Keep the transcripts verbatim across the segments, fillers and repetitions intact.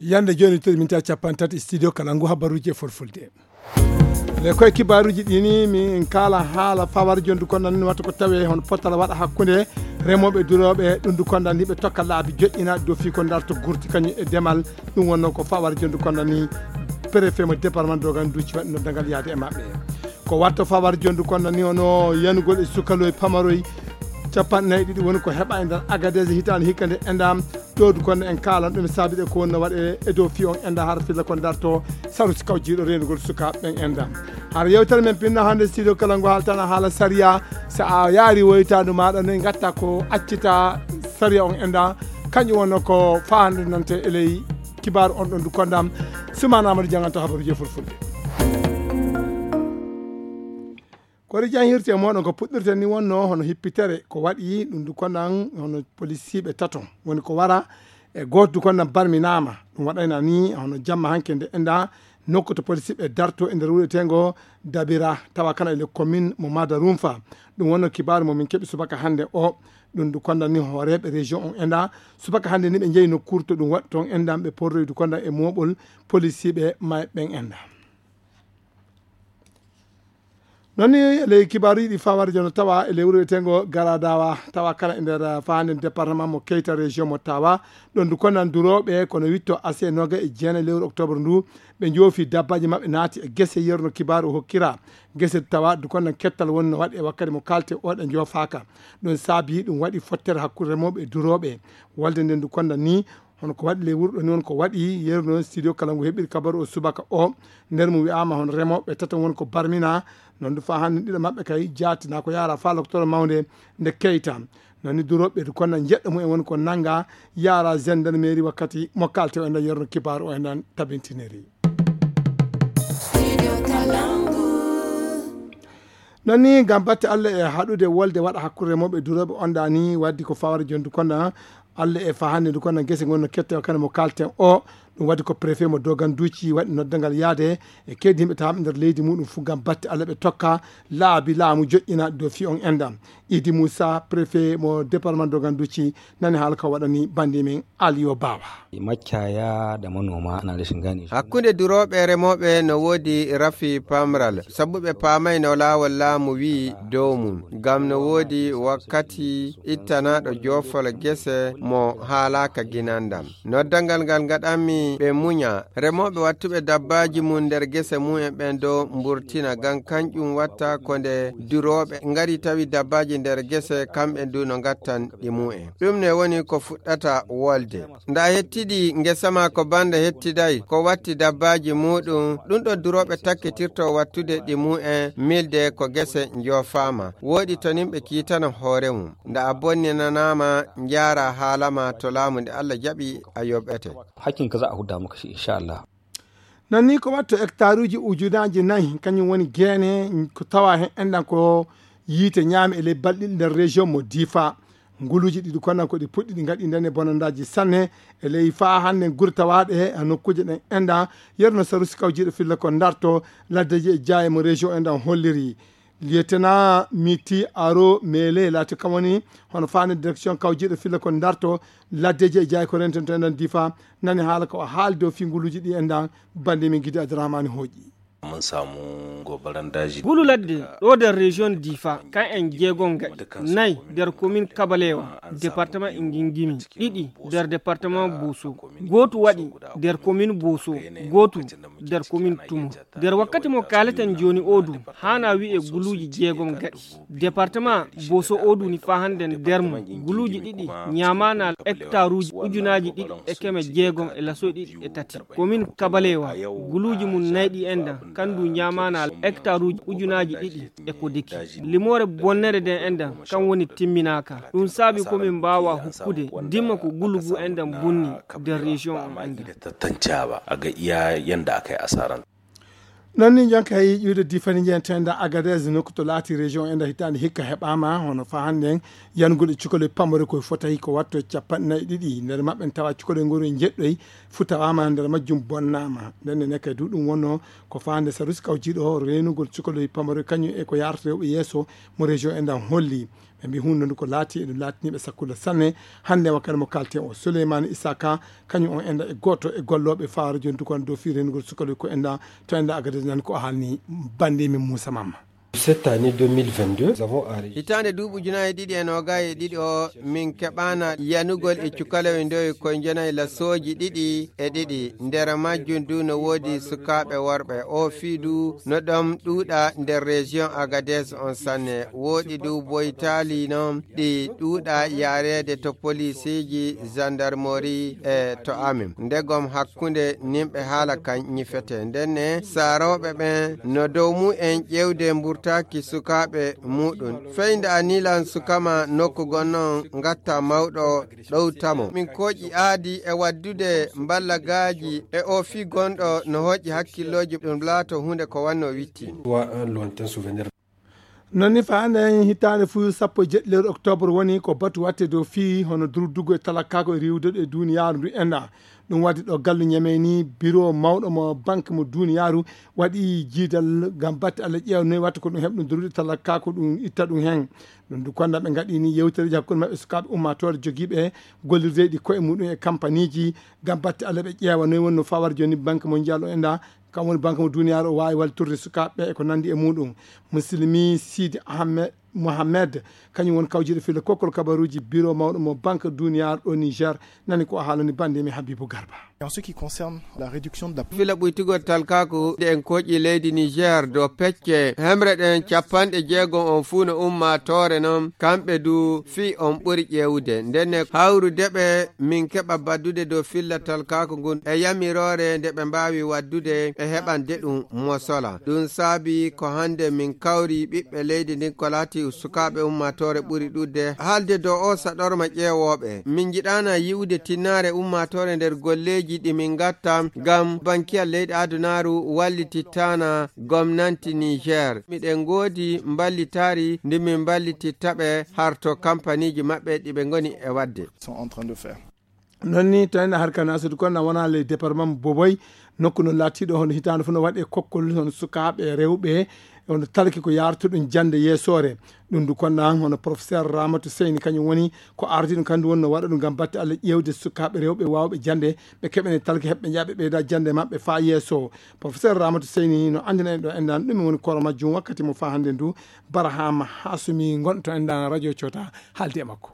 Yande jooni toɗi min tawi capanɗe tati studio kala ngu habaruuji e fulfulde. Le koye kibaaruuji ɗi ni min kaala haala fawar jondu kon nan wata ko tawe hono pottal waɗa hakkunde remooɓe durooɓe ɗum du kondan ni ɓe tokka laabi joƴƴina dofi ko darto gurti kañum e demal. Ɗum wonno ko fawar jondu kondan ni préfet mo département dogan duuci waɗi noddagal yaade e maɓɓe. Ko watta fawar jondu kondan ni hono yanugol e sukaloy pamaroy capanɗe nayi ɗiɗi woni ko heɓa e nder agadese hitaande hikka nde endam. Ɗo du konno en kaalan ɗum saabi ɗe ko wonno waɗe e dow fi on enda har filla ko darto saru si kawjiiɗo renugol sukaaɓe ɓen enda. Har yewtere men pinno hannde studio kala ngo haaltana haala sariya. So a yaari woytaandu maaɗa noy ngatta ko accita sariya on enda. Kañum wonno ko faandu nante e ley kibaaru on ɗon du kondam. Sumana Amadou Janganto habaruji e fulfulde. Kori jan hirte moɗon ko puɗɗirten ni wonno hono hippitere ko waɗi ɗum du konnan hono polisiiɓe tato woni ko wara e gooto du konnan barminaama. Ɗum waɗayna ni hono jamma hanke nde enda nokku to polisiiɓe darto e nder wuɗetengo dabira tawa kana e le commune mo mada rumfa. Ɗum wonno kibaaru mo min keɓi subaka hannde o. Ɗum du konnan ni hooreeɓe région on enda subaka hannde ni ɓe jeyi nokkuure to ɗum waɗi toon endan ɓe porroydu konnan e moɓol polisiiɓe may ɓen enda. Noon ni e ley kibaaruuji ɗi fawaade jono tawa e ley wuro wiyetengo garadawa tawa kala e nder fahande département mo keyta région mo tawa. Ɗon du konan durooɓe kono witto ase noga e jeena lewru octobre ndu ɓe joofi dabbaji maɓɓe naati e gese yerno kibaaru o hokkira gese tawa du konan kettal woni no waɗi e wakkati mo kalte o ɗe joofaaka. Ɗum saabi ɗum waɗi fottere hakkunde remooɓe e durooɓe. Walde nden du konda ni hono ko waɗi ley wuro ɗo ni won ko waɗi yeru noon studio kala ngu heɓiri kabaru o subaka o. Nder mum wi'ama hono remooɓe tato won ko barmina. Noon du fa hannde ɗiɗo maɓɓe kay jaatina ko yaara fa loktoro mawnde nde keyta. Noon ni durooɓe du konna jeɗɗo mum en woni ko nanga yaara gendarmerie wakkati mo kalte o e nder yerno kibaaru o e nder tabintiniri. Noon ni ngam batte Allah e haɗude wolde waɗa hakkunde remooɓe durooɓe onɗa ni waddi ko fawara jondu konna Allah e fa hannde ndu konna gese ngonno kette o kane mo kalten o. Ɗum waddi ko préfet mo doganduuci waɗi noddangal yaade e keydi yimɓe tawaɓe nder leydi muɗum fu ngam batte Allah ɓe tokka laabi laamu joƴƴina do fi on endam. Idi Moussa préfet mo département doganduuci nani haala ko waɗani bandi men Aliyo Bawa. Maccaya da manoma ana rashin gane su. Hakkunde durooɓe e remooɓe no woodi rafi pamral sabu ɓe paamay no laawol laamu wi'i dow mum ngam no woodi wakkati ittanaaɗo joofol gese mo haalaaka ginandam. Noddangal ngal ngaɗanmi ɓe muña remooɓe wattuɓe dabbaaji mum nder gese mumen ɓen dow mburtina ngam kanƴum watta ko nde durooɓe ngari tawi dabbaaji nder gese kamɓe du no ngattan ɗi mumen. Ɗum ne woni ko fuɗɗata wolde. Nda hettiɗi ngesa ma ko banda hettiday ko watti dabbaaji muɗum ɗum ɗo durooɓe takkitirto wattude ɗi mumen milde ko gese njoofaama. Wooɗi to nimɓe kiitana hoore mum. Nda a bonninanaama njaara haalama to laamu nde Allah jaɓi a yoɓete. Hakkinka za a hudda maka shi insha Allah. Noon ni ko watto hectaruuji ujunaaji nayi kañum woni geene ko tawa heen enɗan ko yiite ñaami e ley balɗe ɗiɗi nder région mo Difa. Nguluuji ɗiɗi konan ko ɗi puɗɗi ɗi ngaɗi ndene bonandaaji sanne e ley faa hannde gure tawaaɗe he nokkuuje ɗen enɗan yerno sarusi kawjiiɗo filla ko ndarto laddeji e jaaye mo région enɗan holliri. Lieutenant Miti Aro Mele laati kam woni hono faande direction kawjiiɗo filla ko darto laddeji e jaay ko rentento enen difa nani haala ko o haali dow finguluuji ɗi enɗan bande min gidi Abdourahmane Hooƴi. Mun samu gobarandaji. Gulu ladde ɗo nder région difa kan en jeegom gaɗi nayi nder commune kabalewa département e ngingimi ɗiɗi nder département boso gootu waɗi nder commune boso gootu nder commune tumo. Nder wakkati mo kaaleten jooni odu haana wi'e guluuji jeegom gaɗi département boso odu ni faa hannde nder mum guluuji ɗiɗi ñaamaana hectaruuji ujunaaji ɗiɗi e keme jeegom e lasoy ɗiɗi e tati. Komin kabalewa guluuji mum nayɗi enɗan kandu ñaamaana hectaruuji ujunaaji ɗiɗi e ko deki limoore bonnere nden enɗan kan woni timminaaka. Ɗum saabi komin mbaawa hukkude dimma ko gulugu enɗan bunni nder région on enɗan. Tattancawa a ga iya yanda aka yi asaran. Noon ni, jonka e ƴiwde Difani njiyen tenda Agadez, nokku to laati région e nder hitaande hikka heɓaama, hono faa hannden yanugol e cukalel pamare koye fotay ko watto capanɗe nayi e ɗiɗi. Nder maɓɓe en tawa cukalel ngol e njeɗɗoy, fu tawaama nder majjum bonnaama. Nden ne kay du ɗum wonno ko faande sarusi kawjiiɗo reenugol cukalel pamare kañum e ko yaarata rewɓe yeeso mo région e ndan holli. Ɓe mbi huunde ndu ko laati, eɗum laatini ɓe sakkulla sanne. Hannde wakkati mo kalten o, Souleymane Isaka, kañum on enda e gooto e gollooɓe faaro jonti kon dow fii reenugol sukalɓe ko enda to enda Agadez nan ko haalni bannde min Moussa Mamma. Cette année deux mille vingt-deux, nous avons enregistré. Hitaande duuɓi ujunaaji ɗiɗi e noogay e ɗiɗi o, min keɓaana yanugol e cukalewe ndoye ko njenayi lasooji ɗiɗi e ɗiɗi. Nder majjum du no woodi sukaaɓe worɓe. O fii du no ɗon ɗuuɗa nder région Agadez on sanne. Woodi du boytaali non ɗi ɗuuɗa yaareede to poliisiiji, gendarmerie e to amin. Ndegom hakkunde nimɓe haala kan ñifete. Ndenne saarooɓe ɓen no dow mu'en ƴeewde mburtaaki sukaaɓe muɗum. Feyda anilan sukama nokku gonnon ngatta mawɗo ɗowtamo. Min kooƴi aadi e waddude mballagaaji e o fii gonɗo no hoƴi hakkillooji ɗum laato huunde ko wanno witti. Wa un lointain souvenir. Noon ni faande hitaande fu sappo e jeɗɗi lewru octobre woni ko batu watte dow fii hono durdugo e talakkaako e riiwude e duuniyaaru ndu enda. Ɗum waɗi ɗo gallu ñamey ni biro mawɗo mo banque mo duuniyaaru waɗi jiidal ngam batte Alla ƴeewa noy watta ko ɗum heɓ ɗum durdude talakkaako ɗum itta ɗum hen. Ɗum du konda ɓe ngaɗi ni yewtereji hakkunde maɓɓe sukaaɓe ummaatoore jogiiɓe gollirdeeɗi koye muɗum e kampaniiji ngam batte Alla ɓe ƴeewa noy wonno fawar jooni banque mondial o enda. Kam woni banque mo duniyaaru o waawi wallitorde sukaaɓe ɓe e ko nanndi e muɗum. Muslimi Sidi Ahmed Mohamed, kañum woni kawjiiɗo filla kokkol kabaruuji biro mawɗo mo banque duniyaaru ɗo Niger, nani ko o haalani bannde mi Habibu Garba. En ce qui concerne la réduction de la fila ɓuytugol talkaaku nde en koƴi leydi Niger do pecce hemre ɗen capanɗe jeegom on fuu no ummaatoore non, kamɓe du fii on ɓuri ƴeewude. Ndenne hawrude ɓe min keɓa baddude dow filla talkaaku ngun e yamiroore nde ɓe mbaawi waddude e heɓande ɗum mosola. Ɗum saabi ko hannde min kawri ɓiɓɓe leydi ndin ko laati sukaaɓe ummaatoore ɓuri ɗuuɗde haalde dow o saɗorma ƴeewooɓe. Min njiɗaana yi'ude tinnaare ummaatoore nder golleeji ɗi min ngatta ngam bankiyal leyɗe adunaaru wallitittaana gomnanti Niger. Miɗen ngoodi mballitaari ndi min mballititta ɓe harto kampaniiji maɓɓe ɗi ɓe ngoni e waɗde. Sont en train de faire. Noon ni, tawi na harka na sodi kon na wona ley département Boboy, nokku no laatiiɗo hono hitaande fof no waɗe kokkol hono sukaaɓe rewɓe, hono talki ko yaartuɗum jannde yeesoore. Ɗum du kon na hono professeur Ramatu Seyni kañum woni ko ardiiɗo kandu woni no waɗa ɗum ngam batte Alla ƴeewde sukaaɓe rewɓe waawɓe jannde, ɓe keɓene talki heɓɓe njaaɓe ɓeyda jannde maɓɓe faa yeeso. Professeur Ramatu Seyni no anndina en ɗo endan ɗum woni kooro majjum wakkati mo faa hannde ndu Barahama Hasumi ngonɗo to endan radio Cota haaldi e makko.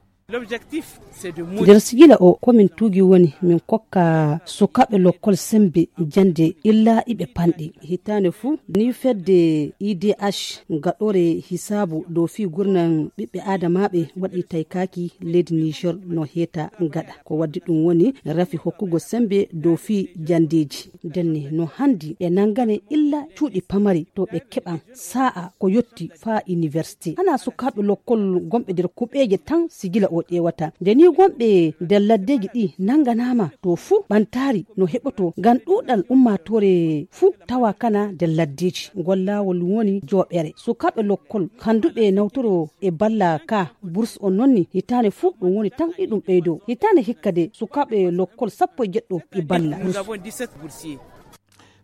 Nder sigila o komin tuugi woni min kokka sukaaɓe lokkol sembe jannde illa iɓe panɗi. Hitaande fuu ni fedde I D H gaɗore hisaabu dow fii gurnan ɓiɓɓe aadamaaɓe waɗi taykaaki leydi Niger no heeta gaɗa. Ko waddi ɗum woni rafi hokkugo sembe dow fii janndeeji. Ndenne no hanndi ɓe nanngane illa cuuɗi pamari to ɓe keɓan saa'a ko yotti faa université. Hanaa sukaaɓe lokkol gonɓe nder kuɓeeje tan sigila o ƴeewata. Nde nii gonɓe nder laddeeji ɗi nannganaama to fuu ɓantaari no heɓoto ngam ɗuuɗal ummaatoore fuu tawa kana nder laddeeji. Ngol laawol woni jooɓere. Sukaaɓe lokkol kannduɓe nawtoro e balla ka bourse on noon ni hitaande fuu ɗum woni tan iɗum ɓeydo. Hitaande hikka de sukaaɓe lokkol sappo e jeɗɗo e balla bourse.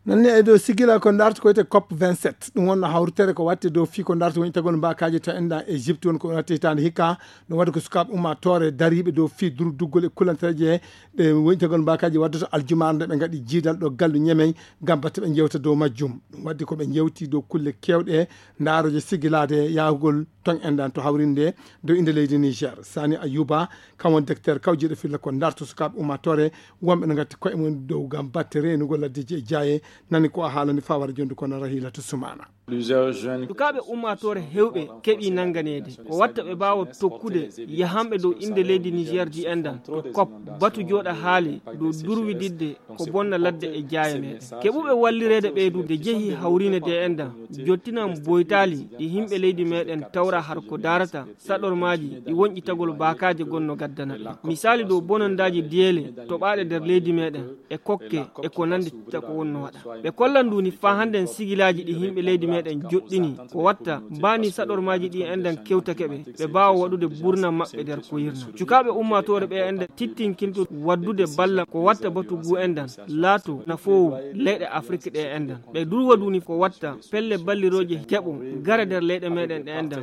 Nanni e dow sigila ko darta ko wiyetee cop vingt-sept. Ɗum wonno hawritere ko watte dow fii ko darta woni tagol mbakaaji to enɗan Égypte woni ko watte hitaande hikka. Ɗum waɗi ko sukaaɓe ummaatoore dariiɓe dow fii durduggol e kulantereje ɗe woni tagol mbakaaji waddata aljumaare nde ɓe ngaɗi jiidal ɗo gallu ñemey ngam batte ɓe njewta dow majjum. Ɗum waddi ko ɓe njewti dow kulle keewɗe ndaarooje sigilaade yahugol ton enɗan to hawrinde dow innde leydi Niger. Sani Ayuba, kam woni directeur kawjiiɗo filla ko darto sukaaɓe ummaatoore wonɓe no ngatti koye mum dow ngam batte reenugol laddeeji e jaaye. Nani ko a haalani fawara jonde kono Rahilatu Sumana. Sukaaɓe ummaatoore heewɓe keɓii nannganeede. Ko watta ɓe mbaawa tokkude yahanɓe dow innde leydi Niger ɗi enɗan to kop. Batu jooɗa haali dow durwididde ko bonna ladde e jaaye meɗen. Keɓuɓe wallireede ɓeydude jehi hawriine ɗe enɗan. Jottinan boytaali ɗi yimɓe leydi meɗen tawra har ko daarata saɗormaaji ɗi wonƴitagol baakaaje gonno gaddana ɓe. Misaali dow bonondaaji diyeele toɓaaɗe nder leydi meɗen e kokke e ko nanndi ta ko wonno waɗa. Ɓe kollan ndu ni faa hannden sigilaaji ɗi yimɓe leydi meɗen joɗɗini ko watta mbaani saɗormaaji ɗi enɗan kewtake ɓe, ɓe mbaawa waɗude burna maɓɓe nder ko yirna. Cukaaɓe ummaatoore ɓe enɗan tittinkinto waddude balla ko watta batu ngu enɗan laato nafoowu leyɗe Afrik ɗe enɗan. Ɓe durwa ndu ni ko watta pelle ballirooje keɓo gara nder leyɗe meɗen ɗe enɗan.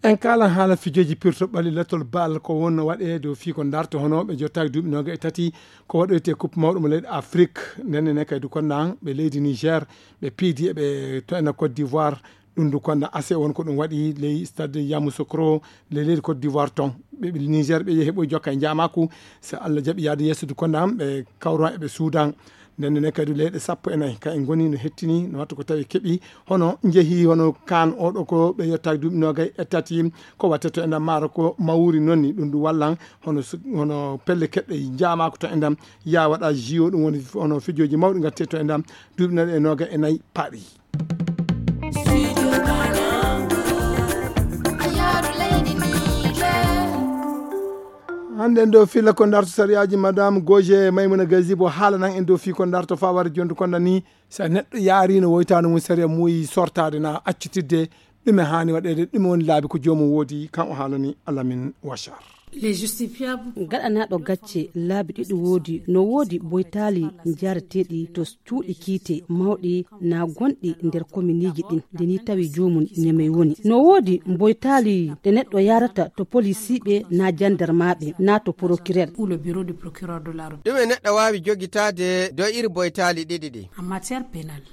En kaalan haala fijooji pirto ɓalli latol baal ko wonno waɗee dow fii ko ndarto hono ɓe jottaaki duuɓi nooga e tati ko waɗoyte coupe mawɗo mo leyɗe Afrik. Nden ne kadi konnan ɓe leydi Niger ɓe piidi e ɓe to ena Côte d'Ivoire. Ɗum du konnan ase won ko ɗum waɗi ley stade Yamoussoukro ley leydi Côte d'Ivoire ton. Ɓe Niger ɓe yehi ɓoy jokka e njaamaaku. So Allah jaɓi yaade yeeso du konnan ɓe kawran e ɓe suudan. Nden ne kadi leyɗe sappo e nayi ka en ngoni no hettini no wattu ko tawi keɓi hono njehi hono kaan oɗo ko ɓe yettaaki duuɓi noogay e tati ko watte to enɗam maaro ko mawuri nonni ɗum ɗum wallan hono hono pelle keɓɗe njaamaako to enɗam yaa waɗa jio ɗum woni hono fijooji mawɗi ngatte to enɗam duuɓi naɗe e noogay e nayi paɗi. Hannde en ɗo filla ko ndarto sariyaaji madame goje maymuna gazibo haalanan en ɗo fii ko ndarto faware jondu konda ni. So neɗɗo yaari no woytaano mum sariya muuyi sortaade na accitidde ɗume haani waɗeede ɗume woni laabi ko joomum woodi kan o haalani alamin wachar. Gaɗanaaɗo gacce laabi ɗiɗi woodi no woodi boytaali njareteeɗi to cuuɗi kiite mawɗi na gonɗi nder kominiiji ɗin nde ni tawi joomum ñemey woni no woodi boytaali ɗe neɗɗo yarata to polisiiɓe na jandarmaaɓe na to procureur. Ɗume neɗɗo waawi jogitaade dow iri boytaali ɗiɗi ɗi?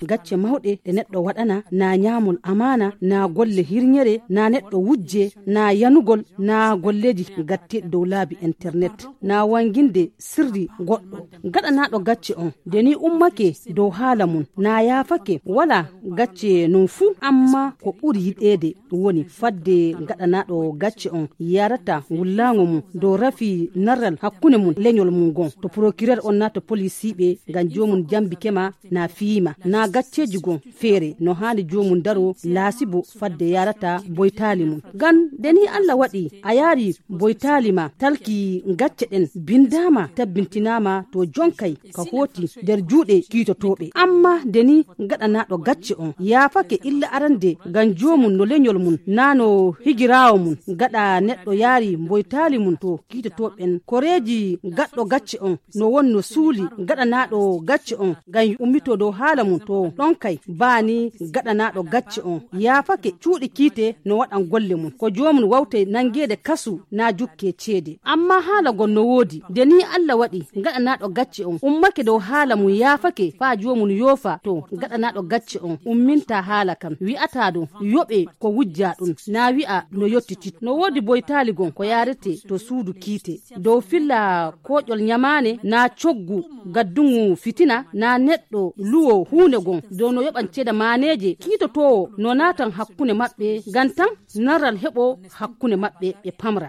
Gacce mawɗe ɗe neɗɗo waɗana na ñaamol amaana na golle hirñere na neɗɗo wujje na yanugol na golleeji gatteeɗi dow laabi internet na wanginde sirri goɗɗo. Gaɗanaaɗo gacce on nde ni ummake dow haala mum na yaafake wala gacce non fuu amma ko ɓuri yiɗeede woni fadde gaɗanaaɗo gacce on yarata wullaango mum dow rafi narral hakkunde mum leñol mum gon to procureur on na to polisiiɓe ngam joomum jambike ma na fiima na gacceeji gon feere no haani joomum daro laasibo fadde yarata boytaali mum ngam nde ni Allah waɗi a yaari boytaali ma talki gacce ɗen bindaama tabbintinaama to jonkay ka hooti nder juuɗe kiitotooɓe amma nde ni gaɗanaaɗo gacce on yaafake illa arande ngam joomum no leñol mum na no higiraawo mum gaɗa neɗɗo yaari mboytaali mum to kiitotooɓen koreeji gaɗɗo gacce on no wonno suuli gaɗanaaɗo gacce on ngam ummitoo dow haala mum to ɗon kay baani gaɗanaaɗo gacce on yaafake cuuɗi kiite no waɗan golle mum ko joomum wawtay nanngeede kasu na jukkee ceede amma haala gon no woodi nde ni Allah waɗi gaɗanaaɗo gacce on ummake dow haala mum yaafake faa joomum yoofa to gaɗanaaɗo gacce on umminta haala kan wi'ataa ɗum yoɓee ko wujjaa ɗum na wi'a no yottitit no woodi boytaali gon ko yaarete to suudu kiite dow filla kooƴol ñamaane na coggu gaddungu fitina na neɗɗo luwo huunde gon dow no yoɓan ceeda maaneeje kiitotoowo no naatan hakkunde maɓɓe ngam tan narral heɓo hakkunde maɓɓe ɓe pamra.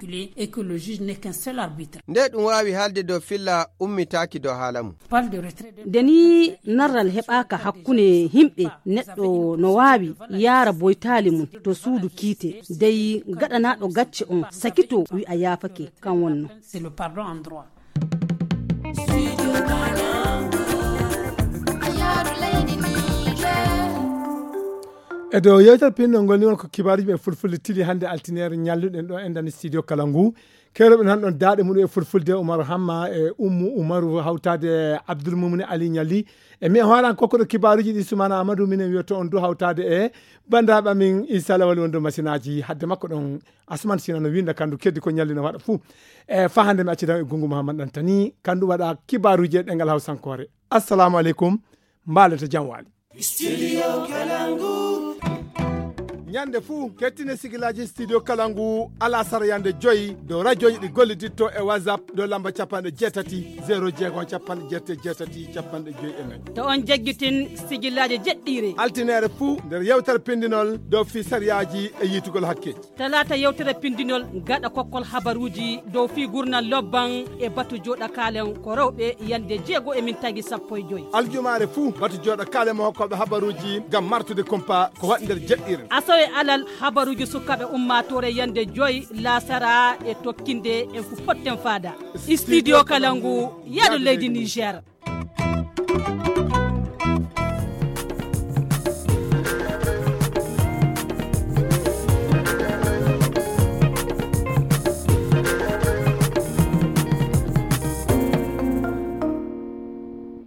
Nde ɗum waawi haalde dow filla ummitaaki dow haala mum. Nde ni narral heɓaaka hakkunde yimɓe neɗɗo no waawi yaara boytaali mum to suudu kiite dey gaɗanaaɗo gacce on sakito wi'a yaafake kan wonno. E dow yewtere pinɗol ngol ni won ko kibaaruji ɓe fulfulde tili hannde altineere ñalluɗen ɗo e ndani studio kala ngu keroɓe nan ɗon daaɗe muɗum e fulfulde umaru hamma e ummu umaru hawtaade e abdoul mumini ali ñalli e mi e hooran kokkoɗo kibaaruji ɗi sumana amadou minen wiyoto on du hawtaade e banndiraaɓe amin isa lawali wonde masinaji hadde makko ɗon asman sina no winda kandu keddi ko ñalli no waɗa fuu e fa hannde mi accida e gungu mouhammad ɗantani kandu waɗa kibaaruji e ɗengal hawsankoore. Assalamu aleykum. Mbaalete jam waali. Studio Kalangu. Ñande fuu, kettine sigilaaji Studio Kalangu alasara yande joyi dow rajoji ɗi golliditto e WhatsApp dow lamba capanɗe jeetati, zero jeego, capanɗe jeetati, jeetati, capanɗe joyi e nayi. To on jaggitin sigilaaji jeɗɗiire. Altineere fuu nder yewtere pindinol dow fii sariyaaji e yiitugol hakke. Talaata yewtere pindinol gaɗa kokkol habaruuji dow fii gurnal lobban e batu jooɗa kaalen ko rewɓe yande jeego e min tagi sappo e joyi. Aljumaare fuu batu jooɗa kaalen mo hokkooɓe habaruuji ngam martude kumpa ko waɗi nder jeɗɗiire. Asawe alal habaruuji sukaaɓe ummaatoore yande joyi laasara e tokkinde en fu potten faada. Studio Kalangu, yaadu leydi Niger.